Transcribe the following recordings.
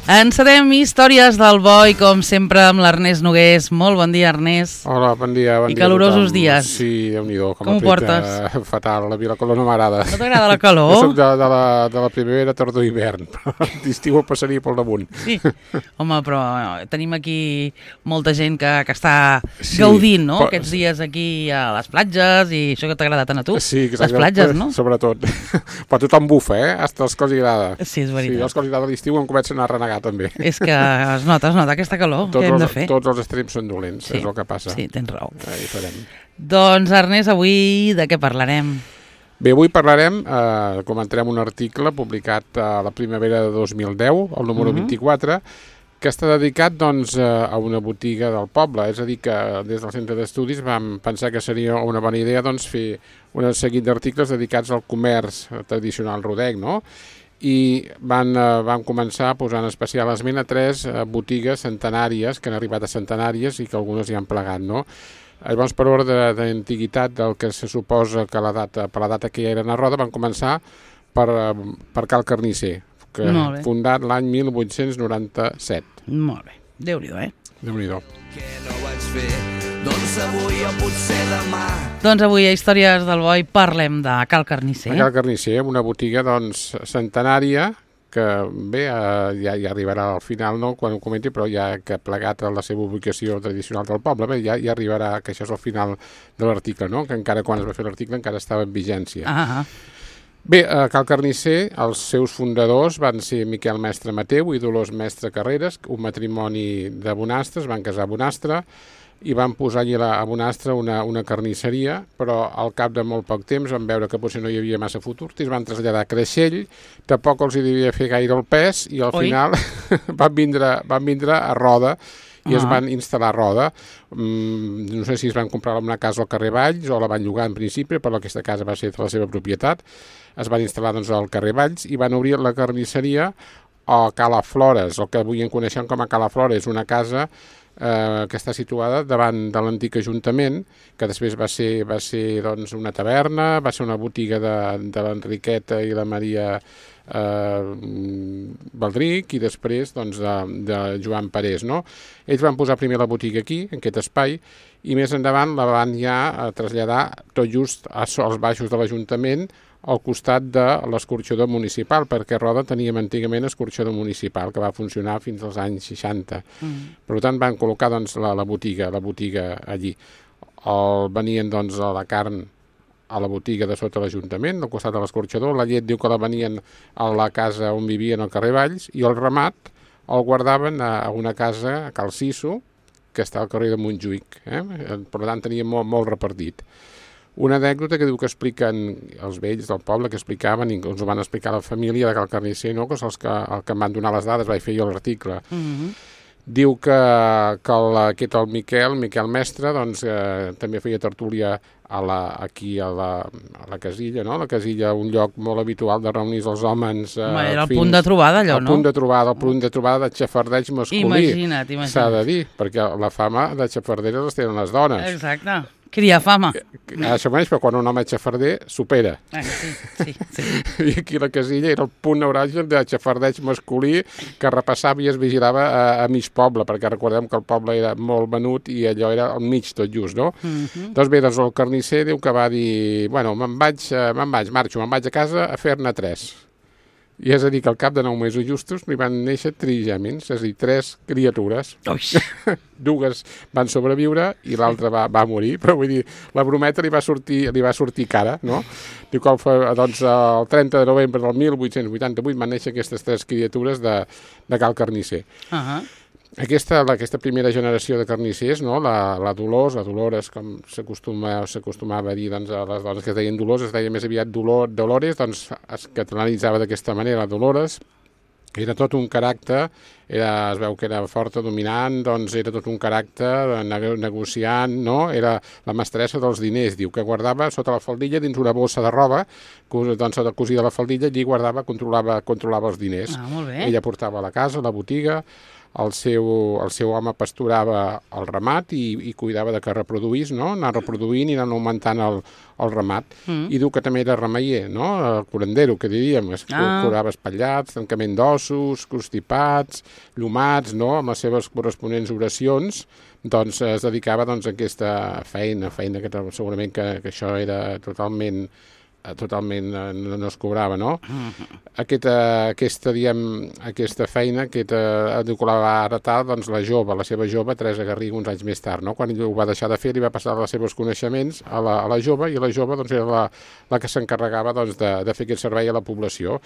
Encetem històries del Boi, com sempre, amb l'Ernest Nogués. Molt bon dia, Ernest. Hola, bon dia. I calorosos dies. Sí, Déu-n'hi-do. Com ho portes? Fatal, la calor no m'agrada. No t'agrada la calor? Jo soc de la primavera, tardor i hivern, però l'estiu ho passaria pel damunt. Sí, home, però tenim aquí molta gent que està gaudint, no? Però... Aquests dies aquí a les platges, i això que t'agrada tant a tu. Sí, les platges, no? Sobretot. Però tothom bufa, Hasta els que els agrada. Sí, és veritat. Sí, els que els agrada l'estiu em comencen a renegar també. És que es nota aquesta calor. Què hem de fer? Tots els extrems són dolents, és el que passa. Sí, tens raó. Hi farem. Doncs, Ernest, avui de què parlarem? Bé, avui parlarem, comentarem un article publicat a la primavera de 2010, el número 24, que està dedicat doncs, a una botiga del poble. És a dir, que des del centre d'estudis vam pensar que seria una bona idea doncs, fer un seguit d'articles dedicats al comerç tradicional rodenc, no? I van començar posant especial esment a 3 botigues centenàries, que han arribat a centenàries i que algunes hi han plegat, no? Llavors, per ordre d'antiguitat del que se suposa que per la data que ja eren a Roda, van començar per Cal Carnisser, que fundat l'any 1897. Molt bé. Déu-n'hi-do, Déu-n'hi-do. Que no vaig fer, doncs avui o potser demà. Doncs avui a Històries del Boi parlem de Cal Carnisser. Cal Carnisser, una botiga doncs, centenària, que bé, ja arribarà al final, no?, quan ho comenti, però ja que ha plegat a la seva ubicació tradicional del poble, bé, ja arribarà, que això és el final de l'article, no?, que encara quan es va fer l'article encara estava en vigència. Bé, a Cal Carnisser, els seus fundadors van ser Miquel Mestre Mateu i Dolors Mestre Carreras, un matrimoni de Bonastre, es van casar a Bonastre, i van posar allà a Bonastre una carnisseria, però al cap de molt poc temps van veure que potser no hi havia massa futur i es van traslladar a Creixell, tampoc els hi devia fer gaire el pes, i al final van vindre a Roda i es van instal·lar a Roda. No sé si es van comprar una casa al carrer Valls o la van llogar en principi, però aquesta casa va ser de la seva propietat. Es van instal·lar doncs, al carrer Valls i van obrir la carnisseria a Cala Flores, el que avui en coneixem com a Cala Flores, una casa que està situada davant de l'antic Ajuntament, que després va ser doncs, una taverna, va ser una botiga de l'Enriqueta i la Maria Baldric i després doncs, de Joan Parés, no? Ells van posar primer la botiga aquí, en aquest espai, i més endavant la van ja traslladar tot just als baixos de l'Ajuntament, al costat de l'escorxador municipal, perquè Roda teníem antigament escorxador municipal, que va funcionar fins als anys 60. Per tant, van col·locar doncs, la botiga allí. Venien doncs, la carn a la botiga de sota l'Ajuntament, al costat de l'escorxador, la llet diu que la venien a la casa on vivien al carrer Valls, i el ramat el guardaven a una casa a Cal Siso, que està al carrer de Montjuïc. Per tant, teníem molt repartit. Una anècdota que diu que expliquen els vells del poble, que explicaven, i ens ho van explicar la família de Cal Carnisser, no? Que és el que em van donar les dades, vaig fer jo l'article. Diu que el Miquel Mestre, doncs, també feia tertúlia aquí a la Casilla, no? La Casilla, un lloc molt habitual de reunir els homes. Era el punt de trobada, allò, no? El punt de trobada de xafardeig masculí. Imagina't. S'ha de dir, perquè la fama de xafarderes les tenen les dones. Exacte. Cria fama. Això mateix, però quan un home és xafarder, supera. Sí. I aquí la Casilla era el punt neuràlgic de xafardeig masculí que repassava i es vigilava a mig poble, perquè recordem que el poble era molt venut i allò era al mig tot just, no? Doncs bé, el Carnisser diu que va dir, bueno, me'n vaig a casa a fer-ne 3. I és a dir, que al cap de 9 mesos justos li van néixer trigèmins, és a dir, 3 criatures. Dues van sobreviure i l'altra va morir, però vull dir, la brometa li va sortir cara, no? Diu que doncs, el 30 de novembre del 1888 van néixer aquestes 3 criatures de Cal Carnisser. Aquesta primera generació de carnissers, no? La Dolores, com s'acostumava a dir doncs, a les dones que es deien Dolors, es deia més aviat Dolores, doncs es catalanitzava d'aquesta manera, la Dolores. Era tot un caràcter, es veu que era forta, dominant, doncs era tot un caràcter negociant, no? Era la mestressa dels diners, diu, que guardava sota la faldilla dins una bossa de roba, doncs sota cosida la faldilla, allí guardava, controlava els diners. Molt bé. Ella portava a la casa, a la botiga. el seu home pasturava el ramat i cuidava de que reproduís, no? Anar reproduint i anar augmentant el ramat. I diu que també era remeier, no? El curandero, que diríem, curava espatllats, tancament d'ossos, constipats, llumats, no? Amb les seves corresponents oracions, doncs es dedicava a aquesta feina que segurament que això era totalment no es cobrava, no? Aquesta feina que la va heretar doncs, la seva jove, Teresa Garriga, uns anys més tard, no? Quan ell ho va deixar de fer, li va passar els seus coneixements a la jove, i la jove doncs, era la que s'encarregava doncs, de fer aquest servei a la població.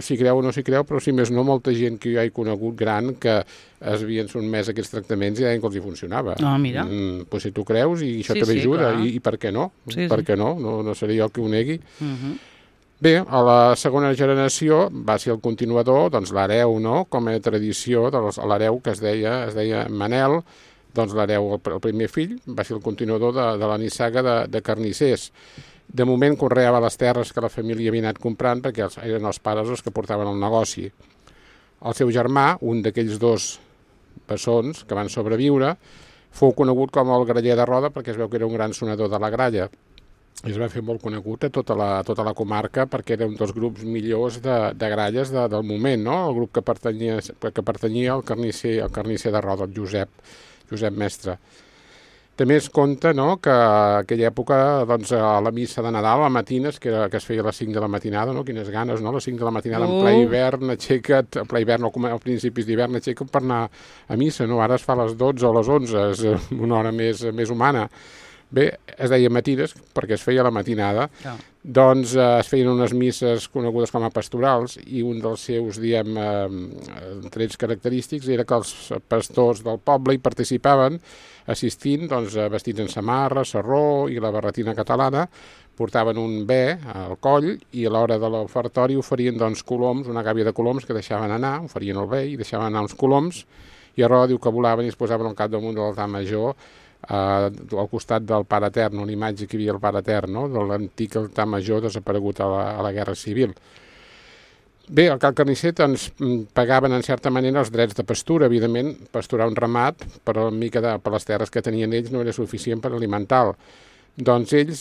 S'hi creu o no s'hi creu, però si més no, molta gent que jo he conegut gran que es havien sotmès a aquests tractaments i deien que els hi funcionava. Mira. Pues si tu creus i això també ajuda, i per què no? Per què no? No seré jo que ho negui. Bé, a la segona generació va ser el continuador, doncs l'hereu, no? Com a tradició, l'hereu que es deia Manel, doncs l'hereu, el primer fill, va ser el continuador de la nissaga de carnissers. De moment conreava les terres que la família havia anat comprant perquè eren els pares els que portaven el negoci. El seu germà, un d'aquells dos bessons que van sobreviure, fou conegut com el graller de Roda perquè es veu que era un gran sonador de la gralla. I es va fer molt conegut a tota la comarca perquè era un dels grups millors de gralles del moment, no? El grup que pertanyia al carnisser de Roda, el Josep Mestre. També es conta, no, que aquella època, doncs, a la missa de Nadal, a matines, que es feia a les 5 de la matinada, no? Quines ganes, no? A les 5 de la matinada, en ple hivern, a principis d'hivern, aixeca't per anar a missa, no? Ara es fa a les 12 o a les 11, és una hora més humana. Bé, es deia matines perquè es feia a la matinada, doncs es feien unes misses conegudes com a pastorals i un dels seus, trets característics era que els pastors del poble hi participaven assistint, doncs, vestits en samarra, sarró i la barretina catalana, portaven un bé al coll i a l'hora de l'ofertori oferien doncs, coloms, una gàbia de coloms que deixaven anar, oferien el bé i deixaven anar uns coloms, i a Roda diu que volaven i es posaven al capdamunt de l'altar major al costat del Pare Etern, una imatge que hi havia el Pare Etern, no? De l'antic altar major desaparegut a la Guerra Civil. Bé, al Cal Carnisser doncs, pagaven en certa manera els drets de pastura, evidentment, pasturar un ramat, però per les terres que tenien ells no era suficient per alimentar-lo. Doncs ells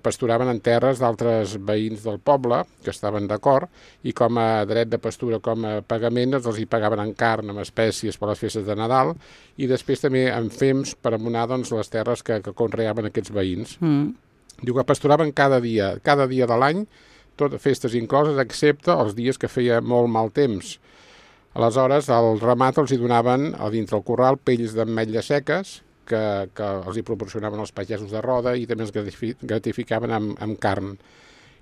pasturaven en terres d'altres veïns del poble, que estaven d'acord, i com a dret de pastura, com a pagament, els hi pagaven en carn, amb espècies per les festes de Nadal, i després també en fems per abonar doncs, les terres que conreaven aquests veïns. Diu que pasturaven cada dia de l'any, totes festes incloses, excepte els dies que feia molt mal temps. Aleshores, al ramat els hi donaven, a dintre el corral, pells d'ametlles seques, que els hi proporcionaven els pagesos de Roda i també els gratificaven amb carn.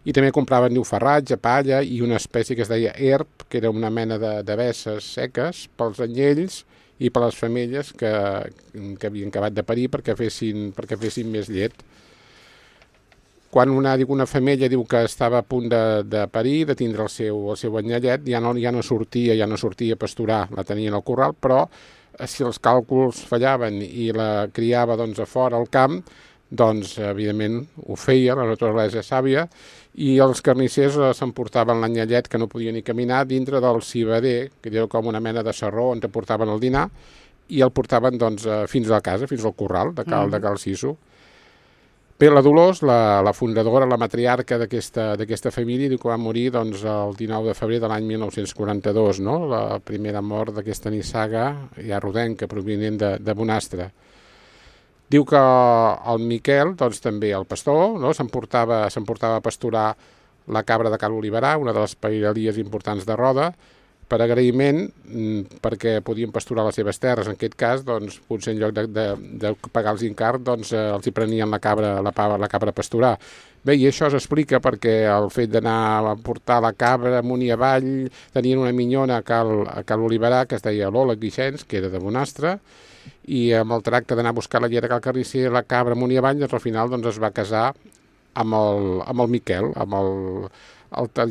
I també compraven farratge, palla i una espècie que es deia herb, que era una mena de vesses seques pels anyells i per les femelles que havien acabat de parir perquè fessin més llet. Quan una femella diu que estava a punt de parir, de tindre el seu anyellet, ja no sortia a pasturar, la tenien al corral, però si els càlculs fallaven i la criava doncs, a fora al camp, doncs evidentment ho feia, la naturalesa sàvia, i els carnissers s'emportaven l'anyellet que no podia ni caminar dintre del civader, que era com una mena de sarró on te portaven el dinar, i el portaven doncs, fins a casa, fins al corral de Cal Siso. Bé, la Dolors, la fundadora, la matriarca d'aquesta família, diu que va morir doncs, el 19 de febrer de l'any 1942, no? La primera mort d'aquesta nissaga ja rodenca, provinent de Bonastre. Diu que el Miquel, doncs també el pastor, no? s'emportava a pasturar la cabra de Cal Oliverà, una de les pairalies importants de Roda, per agraïment, perquè podien pasturar les seves terres. En aquest cas, doncs, potser en lloc de pagar els incart, doncs, els hi prenien la cabra a pasturar. Bé, i això s'explica perquè el fet d'anar a portar la cabra amunt i avall, tenien una minyona a Cal Oliverà, que es deia Lola Guixens, que era de Bonastre, i amb el tracte d'anar a buscar la llet a Cal Carnisser, la cabra amunt i avall, doncs al final doncs, es va casar amb el Miquel,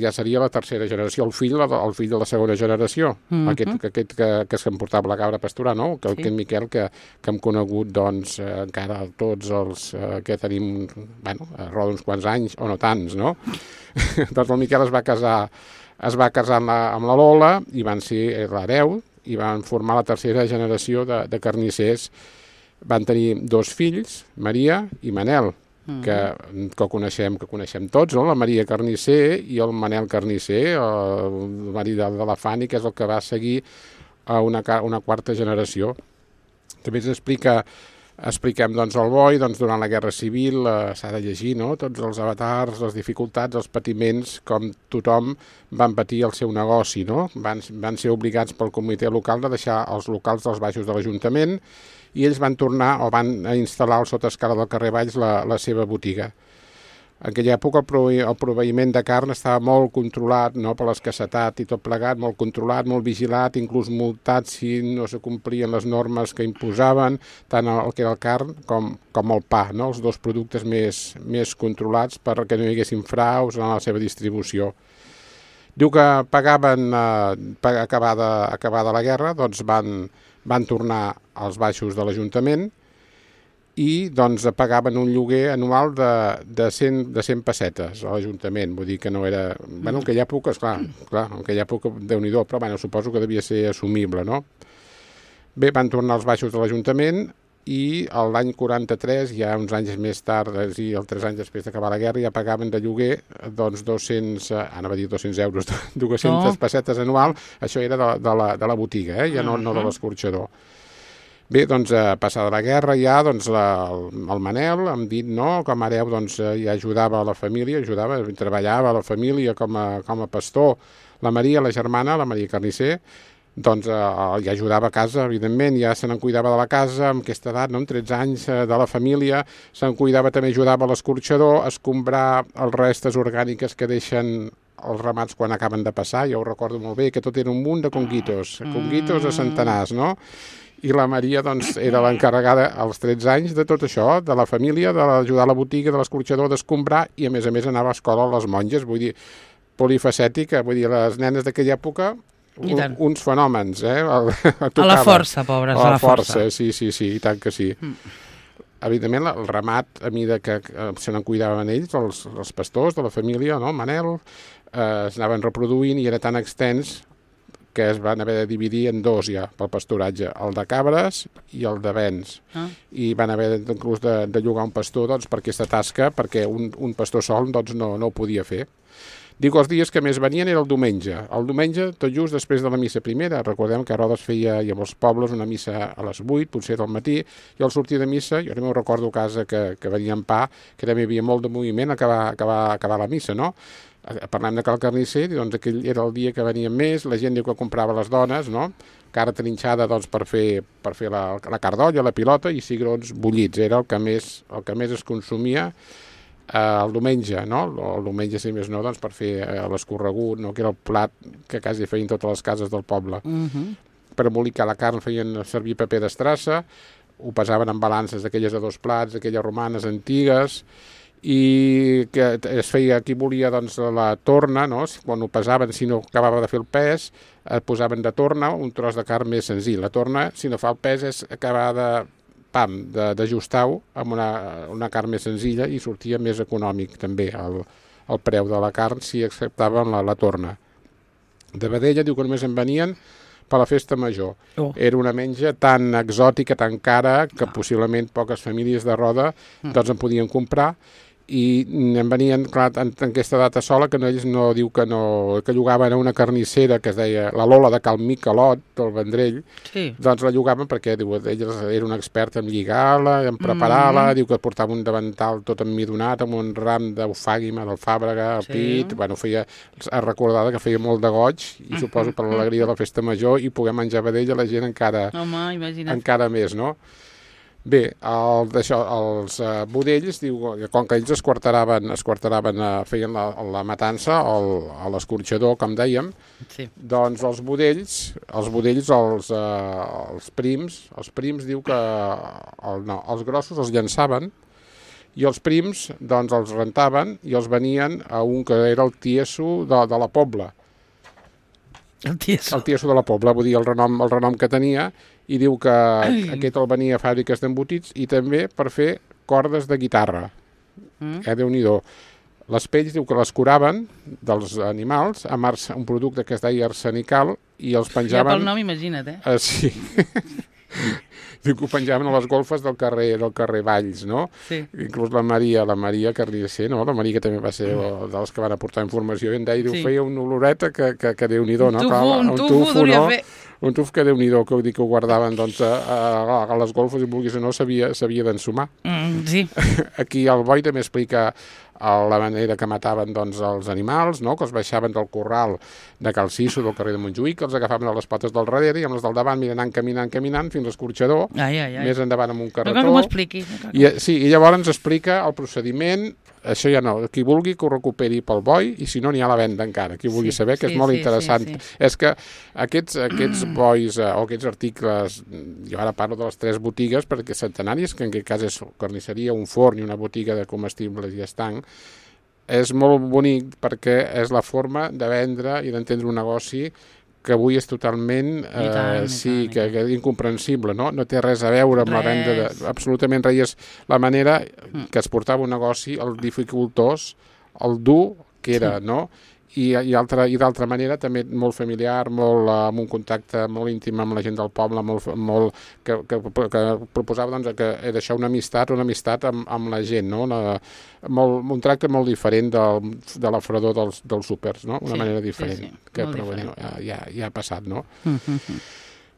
ja seria la tercera generació, el fill de la segona generació, aquest que s'emportava la cabra a pasturar, no? Aquest Miquel que hem conegut doncs, encara tots els que tenim, a Roda uns quants anys, o no tants, no? Doncs el Miquel es va casar amb la Lola i van ser l'hereu, i van formar la tercera generació de carnissers. Van tenir 2 fills, Maria i Manel, que coneixem tots, no? La Maria Carnisser i el Manel Carnisser, el marit de la Fanny, que és el que va seguir a una quarta generació. També expliquem doncs, el boi, doncs, durant la Guerra Civil, s'ha de llegir, no? Tots els avatars, les dificultats, els patiments, com tothom van patir el seu negoci, no? Van ser obligats pel comitè local de deixar els locals dels baixos de l'Ajuntament i ells van tornar o van instal·lar al sotescala del carrer Valls la seva botiga. En aquella època el proveïment de carn estava molt controlat, no, per l'escassetat i tot plegat, molt controlat, molt vigilat, inclús multat si no se complien les normes que imposaven, tant el que era el carn com el pa, no, els 2 productes més controlats perquè no hi haguessin fraus en la seva distribució. Diu que pagaven, acabada la guerra, doncs van tornar als baixos de l'Ajuntament i doncs pagaven un lloguer anual de 100 pessetes a l'Ajuntament, vull dir que no era... Bueno, en aquella època, esclar, en aquella època Déu-n'hi-do, però bueno, suposo que devia ser assumible, no? Bé, van tornar als baixos de l'Ajuntament i l'any 43, ja uns anys més tard, és a dir, 3 anys després d'acabar la guerra, ja pagaven de lloguer doncs 200 euros, 200 pessetes anual, això era de la botiga, ja no de l'escorxador. Bé, doncs, passada la guerra ja, doncs, el Manel, hem dit, no, com a hereu, doncs, ja ajudava a la família, treballava a la família com a pastor. La Maria, la germana, la Maria Carnisser, doncs ja ajudava a casa, evidentment, ja se n'en cuidava de la casa, amb aquesta edat, no? Amb 13 anys de la família, se'n cuidava, també ajudava a l'escorxador, a escombrar els restes orgàniques que deixen els ramats quan acaben de passar, jo ho recordo molt bé, que tot era un munt de conguitos a centenars, no? I la Maria, doncs, era l'encarregada als 13 anys de tot això, de la família, d'ajudar a la botiga, de l'escorxador, d'escombrar, i a més anava a escola a les monges, vull dir, polifacètica, vull dir, les nenes d'aquella època, uns fenòmens, a la força, pobres, a la força. Sí, i tant que sí. Evidentment, el ramat, a mesura que se n'en cuidaven ells, els pastors de la família, no? Manel, es anaven reproduint i era tan extens que es van haver de dividir en 2 ja pel pasturatge, el de cabres i el de bens. I van haver inclús de llogar un pastor doncs, per aquesta tasca, perquè un pastor sol doncs, no ho podia fer. Dic, els dies que més venien era el diumenge. El diumenge, tot just després de la missa primera. Recordem que a Rodes feia, i a molts pobles, una missa a les 8, potser del matí, i al sortir de missa, jo també ho recordo a casa que venien pa, que també hi havia molt de moviment a acabar la missa, no? Parlem de Cal Carnisser, doncs aquell era el dia que venien més, la gent diu que comprava les dones, no? Carn trinxada doncs, per fer la cardolla, la pilota, i cigrons bullits. Era el que més es consumia el diumenge, no? El diumenge, si més no, doncs, per fer l'escorregut, no? Que era el plat que quasi feien totes les cases del poble. Per embolicar la carn feien servir paper d'estrassa, ho pesaven en balances d'aquelles de 2 plats, aquelles romanes antigues, i que es feia, qui volia doncs, la torna, no? Quan ho pesaven, si no acabava de fer el pes, posaven de torna un tros de carn més senzill. La torna, si no fa el pes, és acabar d'ajustar-ho amb una carn més senzilla i sortia més econòmic també el preu de la carn si acceptaven la torna. De vedella diu que només en venien per la festa major. Era una menja tan exòtica, tan cara, que possiblement poques famílies de Roda doncs en podien comprar, i en venien, clar, en aquesta data sola, que ells no diu que llogaven a una carnissera que es deia la Lola de Cal Miquelot, del Vendrell, doncs la llogaven perquè, diu, ella era una experta en lligar-la, en preparar-la, diu que portava un davantal tot emmidonat, amb un ram d'eufàguima, d'alfàbrega, al pit, bueno, es recordava que feia molt de goig, i suposo per l'alegria de la festa major, i poder menjar vedella la gent encara més, no? Bé, els budells, diu, com que ells es quarteraven, feien la matança a l'escorxador, com dèiem, doncs els budells, els prims diu que els grossos els llançaven i els prims doncs els rentaven i els venien a un que era el tieso de la Pobla. El tieso de la Pobla, vull dir, el renom que tenia, i diu que aquest el venia a fàbriques d'embotits i també per fer cordes de guitarra. Déu-n'hi-do. Les pells diu que les curaven dels animals amb un producte que es deia arsenical i els penjaven... Ja pel nom, imagina't, Sí. Diu que ho penjaven a les golfes del carrer Valls, no? Sí. Inclús la Maria Carnicer, no? La Maria, que també va ser dels que van aportar informació, i en deia, diu, feia una oloreta que Déu-n'hi-do, no? Un tufo duria fer. Un tuf que Déu-n'hi-do, que ho guardaven doncs, a les golfes, i vulguis o no, s'havia d'ensumar. Sí. Aquí el Boi també explica la manera que mataven doncs, els animals, no? Que els baixaven del corral de Cal Ciso, del carrer de Montjuïc, que els agafaven a les potes del darrere i amb les del davant anant caminant fins a l'escorxador, més endavant amb un carretó. No cal que m'ho expliquis. I llavors ens explica el procediment. Això ja no, qui vulgui que ho recuperi pel Boi, i si no n'hi ha a la venda encara, qui vulgui saber, que és molt interessant. És que aquests bois o aquests articles, jo ara parlo de les 3 botigues, perquè centenàries, que en aquest cas és carnisseria, un forn i una botiga de comestibles i estanc, és molt bonic perquè és la forma de vendre i d'entendre un negoci que avui és totalment que és incomprensible, no? No té res a veure amb la venda, absolutament res. És la manera que es portava un negoci, el dificultós, el dur que era, no? I d'altra manera també molt familiar, amb un contacte molt íntim amb la gent del poble, que proposava doncs, que era això una amistat amb la gent, no? Un tracte molt diferent de la fredor dels súpers, no? Una manera diferent, que però bueno, ja ha passat, no?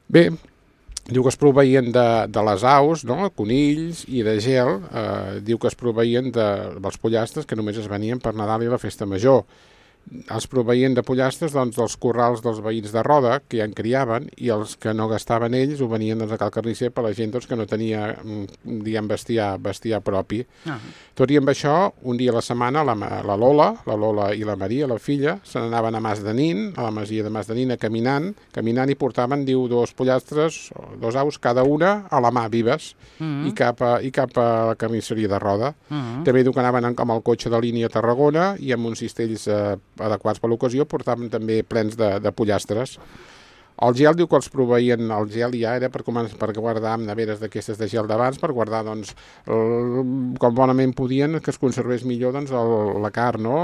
Bé, diu que es proveïen de les aus, no? Conills i de gel, diu que es proveïen dels pollastres que només es venien per Nadal i la Festa Major. Els proveïen de pollastres doncs, dels corrals dels veïns de Roda, que ja en criaven, i els que no gastaven ells ho venien doncs, a Cal Carnisser per la gent doncs, que no tenia bestiar propi. Tot i amb això, un dia a la setmana, la Lola i la Maria, la filla, se n'anaven a Mas de Nin, a la masia de Mas de Nin, caminant i portaven, diu, 2 pollastres, 2 aus, cada una a la mà, vives, i cap a la carnisseria de Roda. També diu que anaven amb el cotxe de línia a Tarragona i amb uns cistells adequats per l'ocasió, portaven també plens de pollastres. El gel diu que els proveïen, el gel ja era per guardar amb neveres d'aquestes de gel d'abans, per guardar, doncs, com bonament podien, que es conservés millor doncs, la carn, no?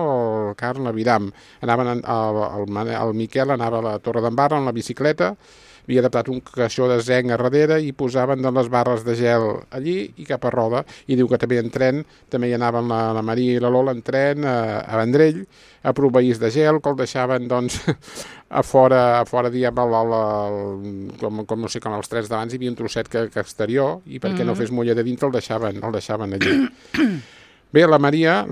El carn, l'aviram. El Miquel anava a la Torre d'en Barra en la bicicleta, havia adaptat un caixó de zenc a darrere i posaven les barres de gel allí i cap a Roda. I diu que també en tren, també hi anaven la Maria i la Lola en tren a Vendrell, a proveir de gel, que el deixaven doncs, a fora diguem, com no sé, com als 3 d'abans hi havia un trosset que exterior, i perquè no fes mulla de dintre el deixaven allí. Bé, la Maria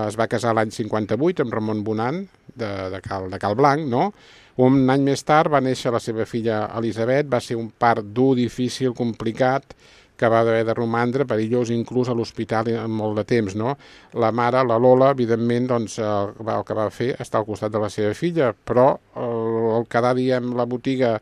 es va casar l'any 58 amb Ramon Bonan, de Cal Blanc, no? Un any més tard va néixer la seva filla Elisabet, va ser un part dur, difícil, complicat, que va haver de romandre, perillós, inclús a l'hospital molt de temps, no? La mare, la Lola, evidentment, doncs, el que va fer estar al costat de la seva filla, però el quedar, diguem, la botiga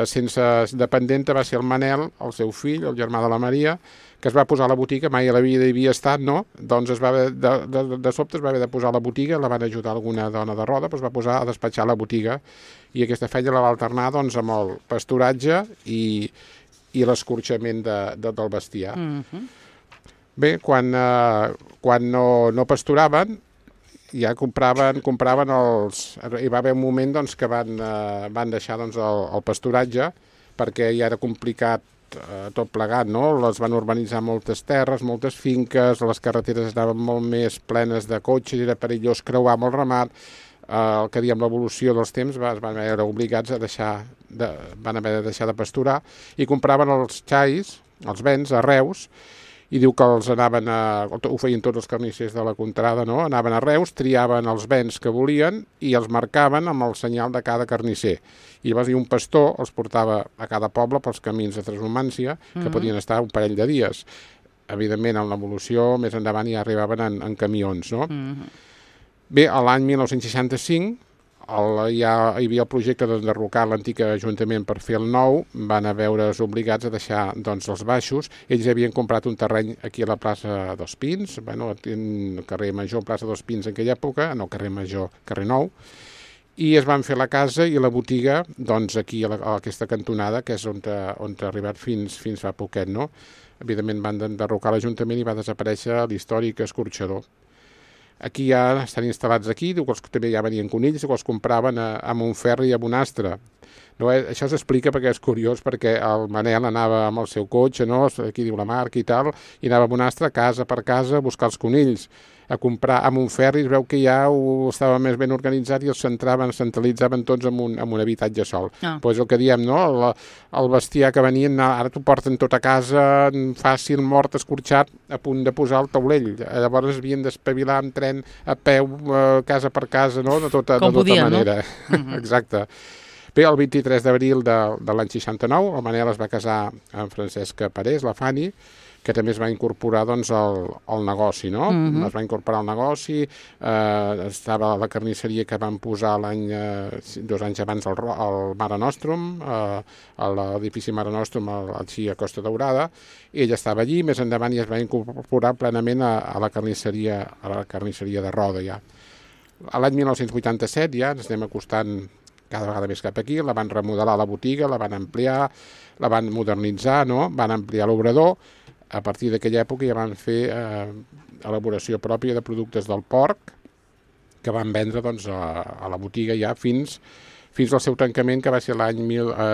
sense dependenta va ser el Manel, el seu fill, el germà de la Maria, que es va posar a la botiga, mai a la vida hi havia estat, no? Doncs de sobte es va haver de posar a la botiga, la van ajudar alguna dona de Roda, però es va posar a despatxar la botiga, i aquesta feina la va alternar doncs, amb el pasturatge i l'escorxament del bestiar. Bé, quan no pasturaven, ja compraven els... Hi va haver un moment doncs, que van deixar doncs, el pasturatge, perquè ja era complicat tot plegat, no? Les van urbanitzar moltes terres, moltes finques, les carreteres estaven molt més plenes de cotxes, era perillós creuar amb el ramat. El que diem l'evolució dels temps es van veure obligats a van haver de deixar de pasturar i compraven els xais, els bens, a Reus, i diu que ho feien tots els carnissers de la contrada, no? Anaven a Reus, triaven els bens que volien i els marcaven amb el senyal de cada carnisser. I llavors un pastor els portava a cada poble pels camins de Transhumància, que podien estar un parell de dies. Evidentment, en l'evolució, més endavant ja arribaven en camions, no? Bé, l'any 1965 hi havia el projecte d'enderrocar l'antic ajuntament per fer el nou, van veure's obligats a deixar doncs, els baixos. Ells havien comprat un terreny aquí a la plaça dels Pins, el carrer Major, plaça dels Pins en aquella època, no carrer Major, carrer Nou, i es van fer la casa i la botiga doncs, aquí a aquesta cantonada, que és on ha arribat fins fa poquet, no? Evidentment van enderrocar l'Ajuntament i va desaparèixer l'històric escorxador. aquí ja estan instal·lats aquí, diu que també ja venien conills, que els compraven a Montferri i a Bonastre. No, això s'explica perquè és curiós, perquè el Manel anava amb el seu cotxe, no? Aquí diu la marca i tal, i anava a Bonastre casa per casa a buscar els conills, a comprar a Montferri. Es veu que ja estava més ben organitzat i els centralitzaven tots en un habitatge sol. Pues el que diem, no? El bestiar que venien, ara t'ho porten tot a casa, fàcil, mort, escorxat, a punt de posar el taulell. Llavors havien d'espavilar amb tren, a peu, casa per casa, no? De tota manera. No? Exacte. Bé, el 23 d'abril de l'any 69, el Manel es va casar amb Francesca Parés, la Fanny, que també es va incorporar doncs, al negoci, no? Es va incorporar al negoci, estava a la carnisseria que van posar 2 anys abans al Mare Nostrum, a l'edifici Mare Nostrum, aquí a Costa Daurada, i ella estava allí, més endavant i es va incorporar plenament a la carnisseria de Roda, ja. A l'any 1987 ja ens anem acostant cada vegada més cap aquí, la van remodelar la botiga, la van ampliar, la van modernitzar, no? Van ampliar l'obrador. A partir d'aquella època ja van fer elaboració pròpia de productes del porc, que van vendre doncs, a la botiga ja fins al seu tancament, que va ser l'any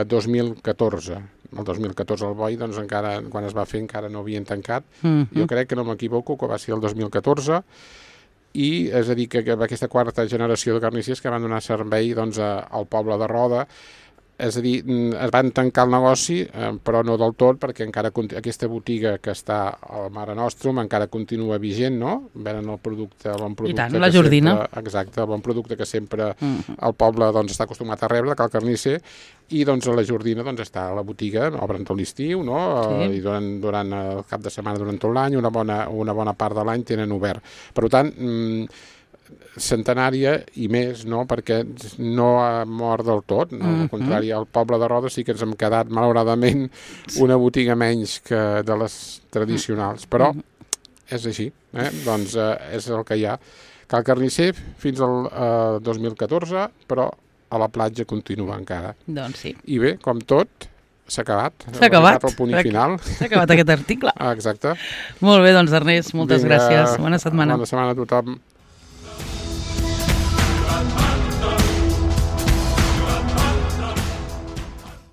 2014. El 2014 el boi, doncs, encara, quan es va fer, encara no havien tancat. Jo crec que no m'equivoco, que va ser el 2014, i és a dir, que aquesta quarta generació de carnissers que van donar servei doncs, al poble de Roda. És a dir, es van tancar el negoci, però no del tot, perquè encara aquesta botiga que està al Mare Nostrum encara continua vigent, no? Venen el bon producte. I tant, la Jordina. Exacte, el bon producte que sempre el poble doncs, està acostumat a rebre, cal carnisser, i doncs la Jordina doncs, està a la botiga, obren tot l'estiu, no? I durant el cap de setmana, durant tot l'any, una bona part de l'any tenen obert. Per tant, centenària i més, no? Perquè no ha mort del tot, no? Al contrari, al poble de Roda sí que ens hem quedat malauradament una botiga menys que de les tradicionals, però és així, doncs és el que hi ha. Cal carnisser fins al 2014, però a la platja continua encara. Doncs sí. I bé, com tot, s'ha acabat. S'ha acabat. El punt final. S'ha acabat aquest article. Exacte. Molt bé, doncs Ernest, moltes gràcies. Bona setmana. Bona setmana a tothom.